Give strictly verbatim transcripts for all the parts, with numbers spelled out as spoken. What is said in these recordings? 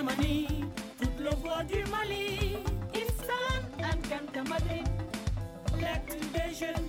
Mali, tut lăvăr di mali. Isălan ălkăntămădre. Lăktin dežen.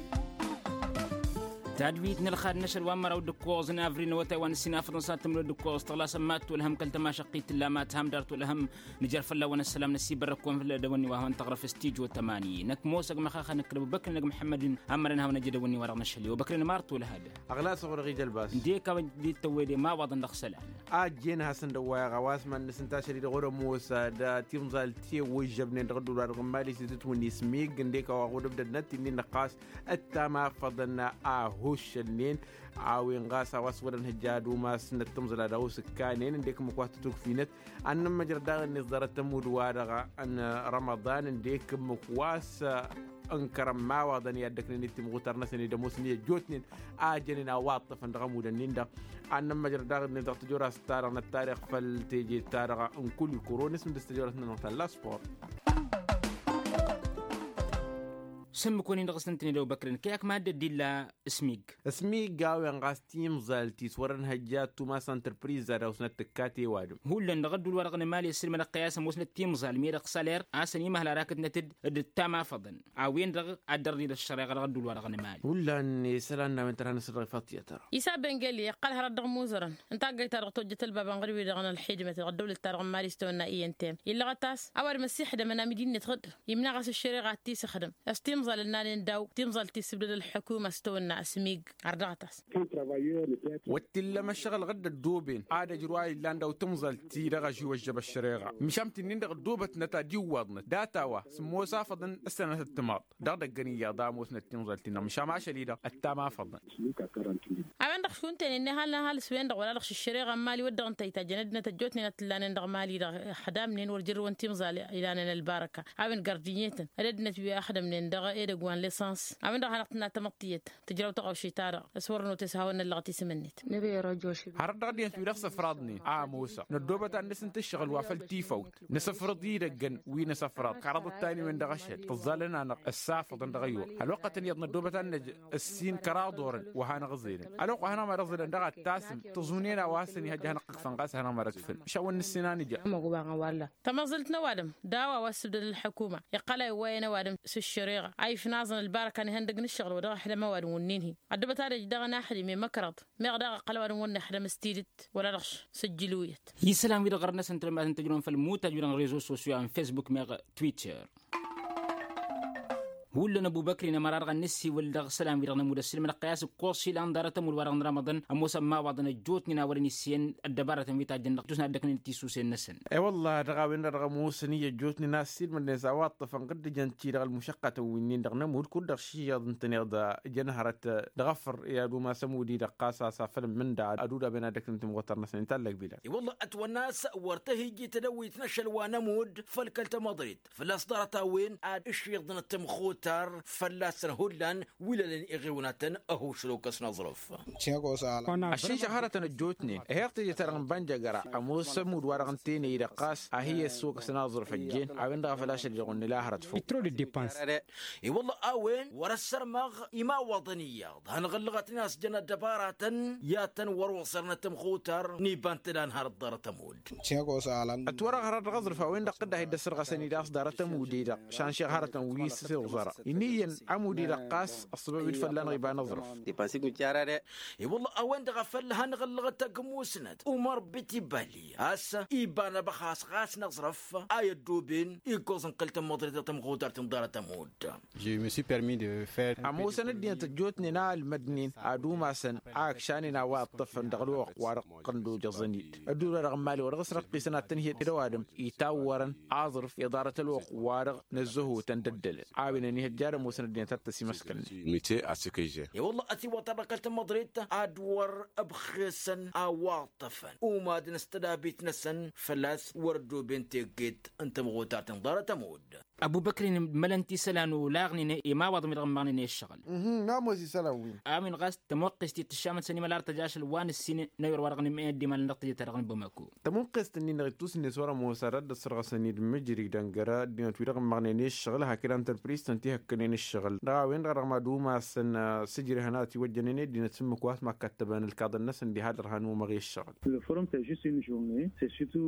Tadwit n-ălxad n-ašăl wa n-măraw d-ǝkkoẓ n-avri n-awătay wa n-ǝssin afăḍăn s-ad-tǝmrǝw d-ǝkkoẓ tăɣlasăn ma t-tolhăm kăl-tămašăqqit tǝlla ma t-ham dar tolhăm. Nǝjăr fălla-wăn ăssălam năsiibărrăk-kăwăn făll-dăwănni wa hawăn-tăɣrăf s-tijo tămani năkk mosăg măxaxa năkk d-ăbubăkr n-ag măḥămmăd n-amărăn hawăn-ăjjădăwănni wa dăɣ-năšăl i-obăkr n-mart tolhad. Ăɣlas ăɣur-ăɣ ija ălbas ǝndek a-wen dd-tăwwede imawaḍăn dăɣ-isălan. Ajjen hasăn-dd-ăwwayăɣ a-wa s-mad-nǝsǝnta ašăl-i-dăɣ wăr-ămoos d-timẓalt i-ăwwǝžžăbnen dăɣ-ădduul-wa-dăɣ n-imali s-itǝtwǝnni s-mig ǝndek a-wa ɣud-ǝbdădnăt-in-in năqqas ǝttam afăḍăn a ăhuššălnen. A-wen ɣas a-wa s-wăr-ănhăjja ad-umas n-ăttǝmẓăl ad-ăwwǝs ǝkkanen ǝndek ǝmmǝk wa s-tătukfinăt ad-nămmăjrăd daɣ-net ḍarăt ămudd-wa-dăɣ n-rămăḍan ǝndek ǝmmǝk wa s-ǝnkărăn imawaḍăn i-ad-dăknen i-timɣutar-năsăn ed ămoosăn i-ăjjootnen a jănen a wa ǝṭṭăfăn dăɣ-ămudd-ǝnnin-dăɣ. Ad-nămmăjrăd daɣ-net dăɣ-tijora s-ta-dăɣ năttarix făll-teje ta-dăɣ n-kulikuro n-asǝm dăɣ-s tijora s-nănăɣ talla sport. Sǝmmǝk-wăn-in dăɣ-s tǝntǝned ăwbăkrăn kăy-ak mad-dd-illa. S-mig. S-mig a-wen ɣas timẓalt-i s-wăr-ănhăjja ad-tumas ăntrăpriz ad-ăwsnăt tǝkkat i-ăwadǝm. Hullan dăɣ-ădduul-wa-dăɣ n-emali ăssiilmădăɣ-tăy a-s ămoosnăt timẓal mi-dăɣ s-aler a-s ănimăhăl arakătnăt-dd d-ăttamafaḍăn. A-wen-dăɣ ad-dd-ărḍi d-ăššăreɣa dăɣ-ădduul-wa-dăɣ n-emali. Hullan isălan n-a-wen tărha n-asăl dăɣ-ifaḍ tiyyăt. Isa bengeli iqqăl hărăt dăɣ-imuzărăn n-taggăyt-ta-dăɣ tojjăt ălbab ănɣăr-wi-dăɣ n-ălxidmăt dăɣ-ăddăwlăt-ta-dăɣ n-mali s-tawănna i n t m illăɣăt a-s a-wa dd-măssixdămăn amidinnet ɣǝd imnaɣ a-s ăššăreɣa ad-t-isǝxdăm. S-timẓal ǝnnanen daw timẓal tissǝbdăd ălḥukuma s-tawănna s-mig. Ărdăɣăt-as. Wăr t-illăm ăššăɣǝl ɣǝd ăddooben ad-ăjrǝw a illan daw timẓal-ti-dăɣ ăžiwăžžăb ăššăreɣa. Măšan ti-nin-dăɣ ăddoobătnăt ad-iwwaḍnăt data-wa s-ămoos afăḍăn ăssanăt ăttămaḍ. Dăɣ-idăggăn iyyăḍ a ămoosnăt timẓal-ti-dăɣ măšan ašăl-i-dăɣ ăttama afăḍăn. A-wen-dăɣ šund tenen n-ehal n-ehal s-wen-dăɣ wăla dăɣ-s ǝššăreɣa n-mali wăr dăɣ-ǝntăyt ajăn ăddinăt ăjjootnen ad-t-ǝllanen dăɣ-mali-dăɣ. Ăxdamnen wăr jărrǝwăn timẓal ilanen ălbarăka a-wen gardǝnyetăn d-ăddinăt wi ăxdămnen dăɣ-edăgg wa n-lesăns. A-wen-dăɣ a hanăɣ-tǝnna tamăḍt tiyyăt tǝjraw taɣăwšit-ta-dăɣ s-wăr-notăs hawăn-năllăɣăt isǝm-net. Hărăt dăɣ-ăddinăt wi dăɣ-săfraḍnen a ămoosăɣ năddoobăt ad-nǝsǝnt ǝššăɣǝl wa făll-tifawt. Nǝsǝfrǝḍ idăggăn wi n-asăfraḍ kăraḍăt ta n-wen-dăɣ ašăl tǝẓẓalăn-anăɣ ăssafăḍăn dăɣ-ăyyoḍ. Ălwăqqătăn iyyăḍ năddoobăt ad-năj ǝssin kăraḍ orăn wa hanăɣ-ǝẓelăn ălwăqq wa hanăɣ-mad-ǝẓelăn dăɣ-ad-tasǝm tăẓunen a-wa s-ănihăjja hanăɣ-tǝkfăn ɣas hanăɣ-mad-ătfǝn. Măšan wăr nǝssin a nǝja. Tamăẓǝlt n-ăwadǝm daw-a-wa ǝssǝbdăd ălḥukuma iqqăl a iwwăyăn ăwadǝm s-ǝššăreɣa a ifnaẓăn ălbarăka n-ihăndăg n-ǝššăɣǝl wa dăɣ-ăhlăm ăwadǝm wǝnnin-hi. Ăddubăt ad-ăj daɣ ănaxdǝm i-măkrăḍ meɣ daɣ ăqqăl ăwadǝm wăr nixdăm s-tidǝt wăla dăɣ-s sǝjjǝluyăt. Isălan-wi-dăɣ ɣărăn-năsăn tălmat n-tăjrăwăn făll-imutaj wi-dăɣ n-rezo sosyo am fesbuk meɣ twitter. Hullan ăbubăkri n-ămăra-dăɣ ad-nǝssiwǝl dăɣ-isălan-wi-dăɣ nămud ăssiilmădăɣ-tăy a-s ǝkkoẓ ilan ḍarăt ămud wa-dăɣ n-rămăḍăn ămoosăn imawaḍăn ăjjootnen a wărăn issiyyăn ăddăbarătăn wi tajjăn dăɣ-tusna ăddăknen d-tisusen-năsăn. E-wălla-hi dăɣ-a-wen-dăɣ dăɣ-ămoosăn i-ăjjootnen a ăssiilmădnen s-a-wa ǝṭṭăfăn ɣǝddǝjăn-ti-dăɣ ălmušăqqătăn wi-nin-dăɣ nămud kud-dăɣ šiyyăḍ ǝntăneḍ jăn hărăt dăɣ-afăr i-ad-umas ămud-i-dăɣ ɣas a-s afăl n-imǝnda ad-udaben ad-ăknăn timɣutar-năsăn i-tallăg bilad. I-wălla ătwănna a-s wăr tăhijji tadăwit n-ašăl wa nămud făll-kăl-tamăḍrit fălla-s ḍarăt-a-wen ad-ǝššiḍnăt timɣutar fălla-săn hullan wi lălăn iɣiwnaten ăhušrăw kăs n-aẓrǝf. Ăššinšăɣ hărătăn ăjjootnen ăheɣ teje-ta-dăɣ n-bănjăgăra ămoos ămudd-wa-dăɣ n-tene-i-dăɣ ɣas a hi-ăssokăs n-aẓrǝf ăjjeen. A-wen-dăɣ a făl ašăl-i-dăɣ wăr nǝla hărăt făw. Itrod dd-depăns. I-wălla a-wen wăr-ăssărmăɣ imawaḍăn iyyăḍ hanăɣ-ǝllăɣătnen a-s jăn ăddăbaratăn i-ad-tăn-wăr-oẓărnăt timɣutar n-iba n-tǝla n-hărăt ḍarăt ămudd. Ătwărăɣ hărăt dăɣ-aẓrǝf a-wen-dăɣ tǝdda a hi-dd-ăssărɣăsăn-dd a-s ḍarăt ămudd-i-dăɣ šan šeɣ hărătăn wi s-iẓărăn iniyyăn ămudd-i-dăɣ ɣas ăṣṣăbăb-dd fălla-năɣ iba n-aẓrǝf. I-wălla a-wen-dăɣ a făl hanăɣ-ǝllăɣăt tagmusnăt umăr bitibali a-s iba n-abăxas ɣas n-aẓrǝf a i-ăddooben ikkoẓ n-kăl-tămmăḍrit dăɣ-tămɣutart n-ḍarăt ămudd. Ămoosăn ăddinăt ăjjootnen a ălmădnen ad-umasăn a ǝkšanen a-wa ǝṭṭăfăn dăɣ-ălwăqq-wa-dăɣ ǝqqăn d-ojăẓăn-dd ădduul-wa-dăɣ n-imali wa dăɣ-s răqqisăn ad-tăn-hi-dd ăwadǝm itawwărăn aẓrǝf i-ḍarăt ălwăqq-wa-dăɣ n-ăzzăhutăn d-ăddălăn. A-wen ănihăjja ad-ămoosăn ăddinăt ad-t-ăsimăskălnen. Mite a s-ikǝjjen. I-wălla ătiwăḍ-ta-dăɣ kăl-tamăḍrit ad-wăr ǝbxesăn a-wa ǝṭṭăfăn umadăn s-tădabit-năsăn făl-a-s wăr-ăddooben tegged n-tămɣutart n-ḍarăt ămudd. Ăbubăkrin mălăn ti isălan olaɣnen i-imawaḍăn wi-dăɣ ǝmmăɣnen i-ǝššăɣǝl. Namoz isălan-win. A-wen ɣas tămoqqest-i tǝššamăt s-ănimăl ar tăjašăl wa nǝssin n-ayǝr wa dăɣ-nǝmmăyăn ăddimalăn dăɣ-tejăt-ta-dăɣ n-bamako. Tămoqqest-nin-dăɣ ittus-net wăr-ămoos ad-ăssărɣăsăn-dd mǝjridăn jăr-ăddinăt wi-dăɣ ǝmmăɣnen i-ǝššăɣǝl hakd antrăpris-tăn ti hăkkănen ǝššăɣǝl dăɣ-a-wen-dăɣ dăɣ-mad-umasăn s-ǝjrehăn a ătiwăjjănen i-ăddinăt s-ǝmmǝk wa s-mad-kattăbăn ǝlkaḍăn-năsăn diha ăddărhan umăɣ i-ǝššăɣǝl.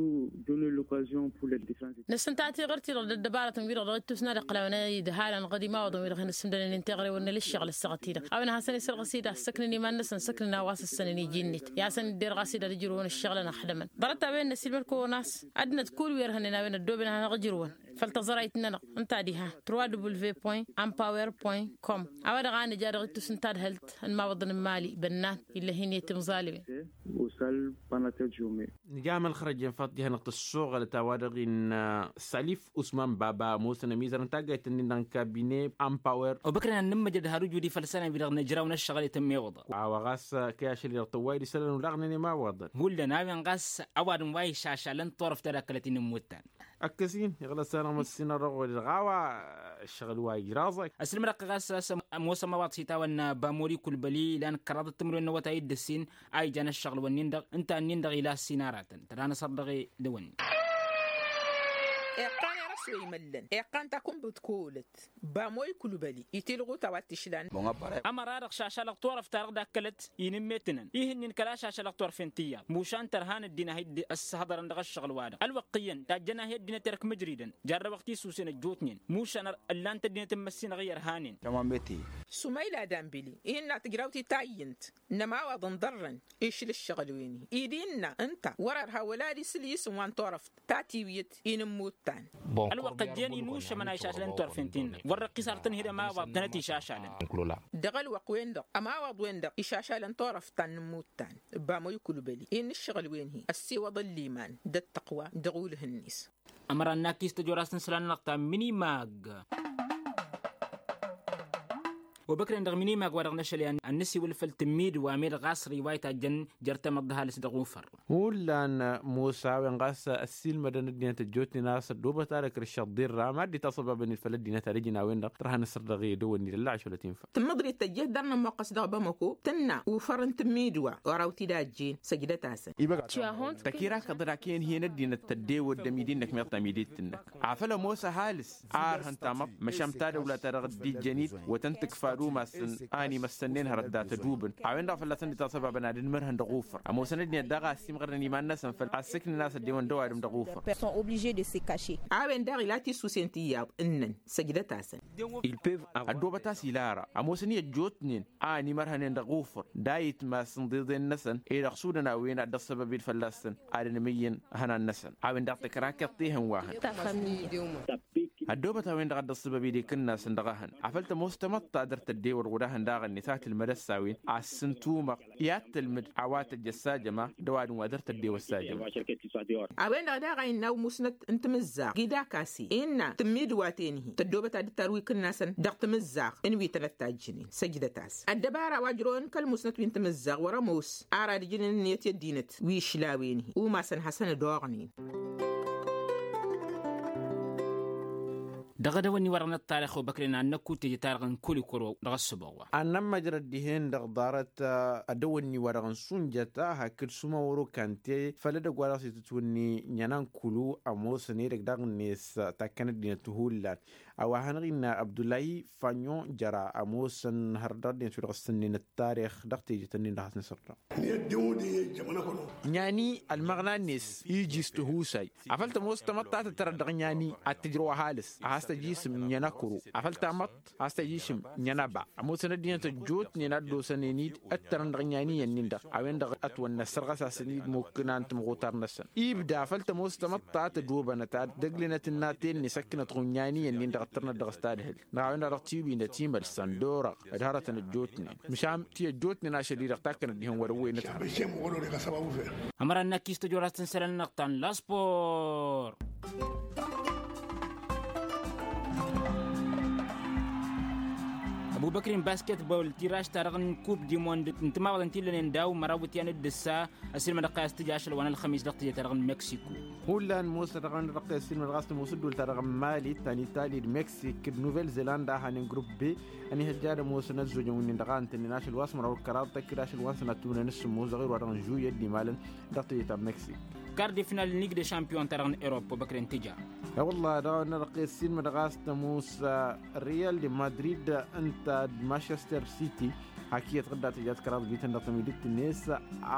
Nǝssǝnta tiɣǝrt-i-dăɣ d-ăddăbarătăn-wi-dăɣ dăɣ-ittus n-ad-iqqălawăn idăhalăn ɣad imawaḍăn-wi-dăɣ hin-ǝssǝmdănăn i-teɣrewăn n-ălššăɣǝl ăssaɣăt-i-dăɣ a-wen ad-hasăn-isărɣǝs-dd ad-săknăn iman-năsăn săknăn a-wa s-ǝssănăn iji-net i-ad-hasăn-dd-irɣas-dd ad-ǝjrǝwăn ǝššăɣǝlăn ăxdămăn. Ḍarăt-a-wen n-ăsilmăd-kăwăn a-s ăddinăt kull wi ărhănnen a-wen ăddooben ad-hanăɣ-ǝjrǝwăn făll-taẓărayt-nănăɣ ǝnta diha trois w point ampawer point com. A-wa-dăɣ a nǝja dăɣ-ittus n-tadhǝlt n-imawăḍăn n-imali bănnan ill'-e hin-e timẓalwen. Nǝja amălxărăj i-infaḍ diha-năɣ tăssoɣălăt a-wa-dăɣ innă salif usman baba ămoosăn ămizăr n-taggayt-ǝnnin-dăɣ n-kabine. Ampawer obăkrăn ad-nǝmmăjrăd har ujudi făll-isălan-wi-dăɣ nǝjraw n-ăššăɣǝl i-tǝmmewăḍăn. A-wa ɣas kăy-ašăl-i-dăɣ tăwway d-isălan olaɣnen imawaḍăn. Hullan a-wen ɣas ăwadǝm wa išašalăn turăft ta d-akkălăt-in n-imuttan. Ăkkăs-in iɣlăs-anăɣ măssinăɣ dăɣ-ɣur-i-dăɣ a-wa ăššăɣǝl wa ijraẓăk. Ăslǝmdăɣ-t ɣas a-s ămoos ămawaḍ s-itawănna bamoli kulbăli ilan kăraḍăt timǝrwen n-awătay d-ǝssin a ijan ăššăɣǝl-wǝnnin-dăɣ ǝnta-nin-dăɣ ila ǝssin aratăn tăra n-asăr dăɣ-e d-ewănnin. Iqqan erăs wa imăllăn iqqan takumbǝt kolăt. Bamoli kulbăli itilɣut a-wa t-išlan. Ămăra-dăɣ šašalăɣ turăft-ta-dăɣ d-akkălăt inǝmmetǝnăn ihǝnnin kăla šašalăɣ turăfen tiyyăḍ mušan tărhan ăddin a hi-dd-ăssăhḍărăn dăɣ-ăššăɣǝl-wa-dăɣ ălwăqq iyyăn tajjăn a hi-ăddinăt erk mǝjridăn. Jarrăwăɣ tisusen ăjjootnen mušan ăllan-t ăddinăt n-măssinăɣ i-ărhanen. Sumayla danbili ihinna tǝjraw titayyǝnt n-ămawaḍ n-iḍărrăn išla ǝššăɣǝl-wen-i-dd innă ǝnta wăr-ărha wăla ad-isǝl isǝm wa n-turăft ta tiwǝyăt. Inǝmmuttan. Ălwăqq ăjjeen inušămăn a išašlăn turăfen ti-năɣ wăr răqqis ar tǝnhǝd ămawaḍ tănăt išašalăn. Dăɣ-ălwăqq-wen-dăɣ ămawaḍ-wen-dăɣ išašalăn turăft ta n-inǝmmuttan. Bamăy kulbăli-i n-ǝššăɣǝl-wen-hi ăssiwăḍăn liman d-ăttăqwa dăɣ-ulh-net. Ămăra n-akis tăjorast n-isălan-nănăɣ ta minimag. Obăkren dăɣ-minimag wa dăɣ-năšăl i-ad-nǝsiwǝl făll-tǝmmidǝw a med ɣas riwayt a jăn jer-tamăḍt d-ăhalǝs dăɣ-ufăr. Hullan musa a-wen ɣas ăssiilmădăn ăddinăt ăjjootnen a-s ăddoobăt ad-ăkrǝššăḍ d-irra mad-dd-itasăbabăn-dd făll-ăddinăt ad-ǝjǝn a-wen-dăɣ tărha n-asăr dăɣ-e dăwănni d-ăllaɣ ašăl ătinfăl. Tǝmmǝḍrit tăjjeh d-arnămmoqqăs dăɣ-bamăko tǝnna ufăr n-tǝmmidǝwa oraw-t-dd-ajjen săjdăt-asăn. Tăkirakăḍ-dd ak'-en hi-en ăddinăt tăddewăt d-amidi-năk meɣ tamidit-năk afăl ămoos ăhalǝs a ărhăn tamăḍt măšan tadăwla-ta-dăɣ dd-ijjăn-dd wătăn-tǝkfa d-umasăn a ănimăssănnen hărăt dat-ădubǝn. A-wen-dăɣ fălla-săn dd-itasăbabăn ad-ǝnmărhăn dăɣ-ufăr ămoosăn ăddinăt daɣ a ăsimɣărnen iman-năsăn făll-a ăssǝknen a-s ăddewăn dăw-adǝm dăɣ-ufăr. Sunt obligés de se cacher. A-wen daɣ ila tisusen tiyyăḍ ǝnnăn săjdăt-asăn. Ăddoobăt a-s ila ara ămoosăn i-ăjjootnen a ănimărhănen dăɣ-ufăr d-ayǝtmas n-iḍeḍen-năsăn ed ăɣsudăn a-wen ad-dd-ăṣṣăbăb-dd fălla-săn ad-ănmǝyyăn ihănan-năsăn. A-wen daɣ tăkrakeḍt ihăn wa hăn. Ăddoobăt a-wen-dăɣ a dd-ăṣṣăbăb-dd ikǝnnasăn dăɣ-ehăn afăl tămoos tamăḍt ta dăr-tăddewăl ɣud-ehăn daɣ-net a tǝlmăd ăssawin a ǝssǝntumăɣ i-ad-tǝlmǝd a-wa tăjj ăssajăma d-ăwadǝm wa dăr-tăddewăl sajăma. A-wen-dăɣ daɣ a innă umusnăt n-timǝzzaɣ gidakase innă tǝmmidǝwa-ten-hi tăddoobăt ad-dd-tarǝw ikǝnnasăn dăɣ-timǝzzaɣ n-wi tănăt-tajjǝnen săjdăt-as. Ăddăbara wa ǝjrăwăn kăl-musnăt wi n-timǝzzaɣ wăr-ămoos ar ad-ǝjǝn ǝnniyăt i-ăddinăt wi išlawăn-hi umasăn hasăn-ădoɣnen. Dăɣ-edăwănni-wa-dăɣ n-ăṭṭarix obăkren ad-năkku teje-ta-dăɣ n-kul ikor-wăw dăɣ-ăssăboɣ wa. Ad-nămmăjrăd dihen-dăɣ ḍarăt edăwănni-wa-dăɣ n-sunjăt a hakd sumawăro kante făll-edăgg wa dăɣ-s itǝtwǝnni ǝnyan a n-kulu ămoosăn edăgg daɣ-net takkăn ăddinăt hullan. A-wa hanăɣ-innă abdullahi fanyon jăra ămoosăn hărăt dăɣ-ăddinăt wi-dăɣ ǝssǝnnen ăttarix dăɣ-tejet-ǝnnin-dăɣ a-s nǝsǝrdăɣ. Ǝnyan-i ălmăɣna-net iji s-tihusay afăl tămoos tamăḍt ta tǝttărăt dăɣ-ǝnyan-i ad-tǝjrăw ăhalǝs a has-tăj isǝm ǝnyan akǝru afăl tamăḍt a has-tăj isǝm ǝnyan aba. Ămoosăn ăddinăt ăjjootnen a dd-osănen-dd ǝttărăn dăɣ-ǝnyan-i ǝnnin-dăɣ a-wen-dăɣ ătwănna ăssărɣăs-asăn-dd mukǝna n-timɣutar-năsăn. Ibda afăl tămoos tamăḍt ta tădobănăt ad-ăglănăt ǝnnaten-net ǝkkǝnăt ɣǝnyan-i ǝnnin-dăɣ ǝttărnăt dăɣ-s tadhǝlt dăɣ-a-wen-dăɣ dăɣ-tiwinăt imălsăn d-orăɣ d-hărătăn ăjjootnen măšan ti ăjjootnen ašăl-i-dăɣ takkănăt dihen wăr-ăwwăynăt. Ămăra n-akis tăjorăst n-isălan-năɣ ta n-laspor. Ăbubăkri n-basketball tiraš-ta-dăɣ n-kub di mond n-timawaḍăn ti ǝllănen daw-măraw ǝtyan d-ǝssa. Ăssiilmădăɣ-t a-s tǝja ašăl wa n-ălxămis dăɣ-tǝjet-ta-dăɣ n-meksiko. Hullan mosa dăɣ-anăɣ dăɣ-tăssiilmădăɣ a-s tămoos ǝddul-ta-dăɣ n-mali ta n-itali d-meksik d-nuvel zelanda a hanen grupp b. Ănihăjja ad-ămoosăn ăzzojăn wi-nin-dăɣ a ǝntănnen ašăl wa s-măraw d-kăraḍ tăkk d-ašăl wa n-sănat tumǝnen s-sǝmmos dăɣ-irwa dăɣ-n žuyet d-imalăn dăɣ-tǝjet ta n-meksik. Kar de final n-lig de šampiyon-ta-dăɣ n-erop obăkren tǝja. E-wălla dăɣ-nărăqqes sinmădăɣ a-s tămoos real de madrid ǝnta d-manchester city. Hak iyyăt ɣǝdda tǝjat kăraḍ bităn dăɣ-tămidit-net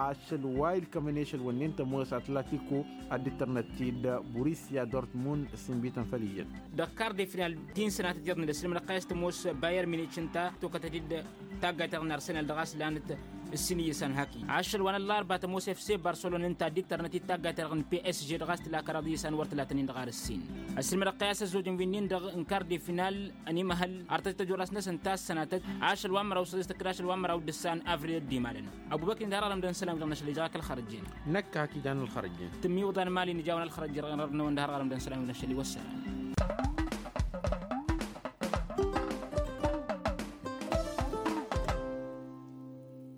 ašăl wa ilkămăn i-ašăl wănnen tămoos atlatiko ad-dd-tărnăt-t-dd burisia dortmund s-inbităn făll-iyyăt. Dăɣ-kar de final ti n-sănatăt iyyăḍ n-ad-ăssilmădăɣ-t a-s tămoos bayern minich ǝnta tokătăt-dd taggayt-ta-dăɣ n-arsenal dăɣ-a-s lanăt ǝssin iyyăsan haki ašăl wa n-ăllarba tămoos efse barselona ǝnta a dd-tărnăt-dd taggayt-ta-dăɣ n-psg dăɣ-a-s tǝla kăraḍ iyyăsan wăr tǝlatăn-in dăɣ-ar ǝssin. Ăssilmădăɣ-t a-s ăzzojăn wi-nin-dăɣ n-kar de final ănimăhăl artăt tăjorasnăsăn ta s-sănatăt ašăl wa n-măraw s-ăzăs tăkkăd ašăl wa n-măraw d-ǝssan avril ăddimalăn. Ăbubăkri n-dăɣ-ărɣălăm d-ănn isălan wi-dăɣ n-ašăl ija kăl-xărăjjen. Năkk hak ijan ălxărăjjen. Tǝmmiwǝḍan mali n-ija wa n-ălxărăjjen dăɣ-nărnăwăn d-ăhărɣălăm d-ănn isălan wi-dăɣ n-ašăl i-wăssan.